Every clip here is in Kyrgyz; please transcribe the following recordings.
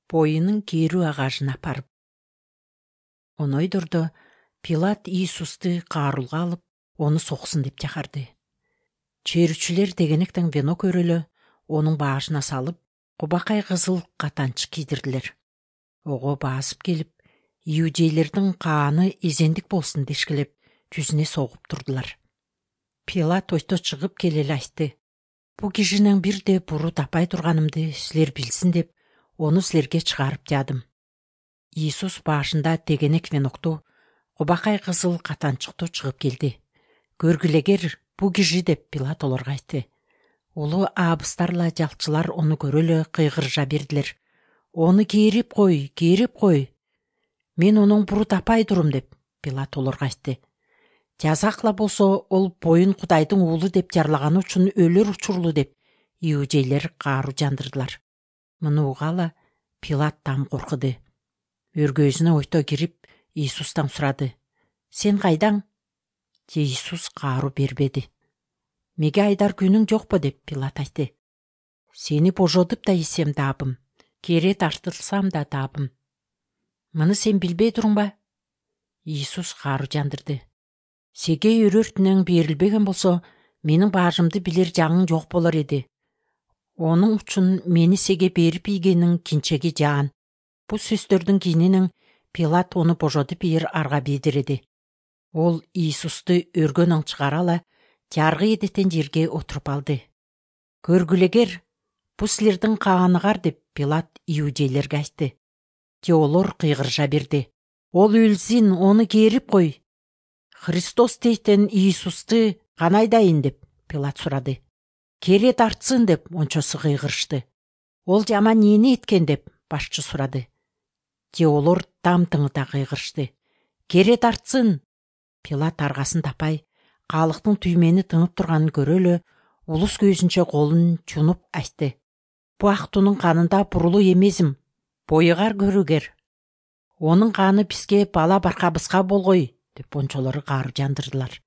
Боюнун кээрүү агажын апарып. Онойдордо Пилат Иисусту каарулга алып, ону соксун деп чакырды. Чээрүүчүлөр дегенектен вено көрөлө, онун башына салып, кубакай кызыл катанчык кийдирдилер. Ого басып келип, иудейлердин кааны эзендик болсун дешкилеп, жүзүнө согуп турдулар. Пилат ойто чыгып келе эле айтты: «Бу кишинен бирде буру таппай турганымды силер билсин деп, ону силерге чыгарып жаадым». Иисус башында тегенек венокту, кубакай кызыл катанчыктуу чыгып келди. «Көргүлегер, бу киши» деп Пилат олорго айтты. Улуу абыстарла жалчылар ону көрөлө кыйгыржа бердилер. «Ону кээрип кой. Мен онун буру таппай турум» деп Пилат олорго айтты. «Жазакла болсо, ол боюн Кудайдын уулу деп жарлаганы үчүн өлөр учурлуу» деп иудейлер каару жандырдылар. Муну угала Пилат там коркуду. Өргөзүнө ойто кирип, Иисустан сурады: «Сен кайдаң?» Иисус каару бербеди. «Меге айдар күнүң жокпу?» деп Пилат айтты. «Сени божодуп да ийсем даабым, кере тартылсам да даабым. Муну сен билбей турумба?» Иисус каару жандырды. «Сеге өрөөртүнөн берилбеген болсо, менин бажымды билер жаңың жок болор эди. Онун үчүн мени сеге берип ийгениң кинчеги жаан». Бу сөздөрдүн кийинен Пилат ону божодуп ийер арга бийдиреди. Ол Иисусту өргөнөн чыгара ала, жаргы эдетен жерге отуруп алды. «Көргүлегер, бу силердин кааныгар» деп Пилат иудейлерге айтты. Же олор кыйгыржа берди: «Ол өлсүн, ону кээрип кой». «Христос дейтен Иисусту канайдайын?» деп Пилат сурады. «Кере тартсын» деп ончосу кыйгырышты. «Ол жаман эмне эткен?» деп башчы сурады. Же олор там-тыңыта кыйгырышты. «Кере тартсын». Пилат аргасын таппай, калктын түймени тыңып турганын көрөлө, улус көзүнчө колун жунуп айтты: «Бу актуунун канында бурулуу эмесим, боюгар көрүгер. Онун каны бизге бала баркабызга болгой» деп ончолору каару жандырдылар.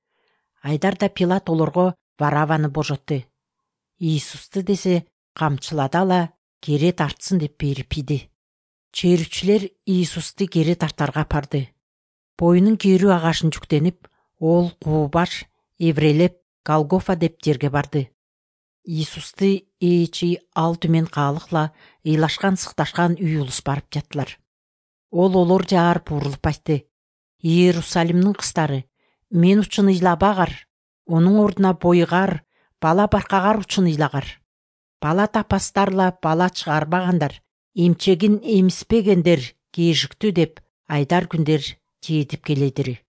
Айдарда Пилат олорго Вараваны божотту. Иисусту десе камчылады ала, кере тартсын деп берип ийди. Чээрүүчүлөр Иисусту кере тартарга апарды. Боюнун кээрүү агашын жүктенип, ол Куубаш, эврелеп Голгофа деп жерге барды. Иисусту ээчи ал түмен каалыкла ыйлашкан-сыкташкан үй улус барып жаттылар. Ол олор жаар бурулуп айтты: «Иерусалимдин кыздары, мен үчүн ыйлабагар, онун ордуна боюгар, бала баркагар үчүн ыйлагар. Бала таппастарла бала чыгарбагандар, эмчегин эмиспегендер кээжиктүү» деп айдар күндөр жетип келедир.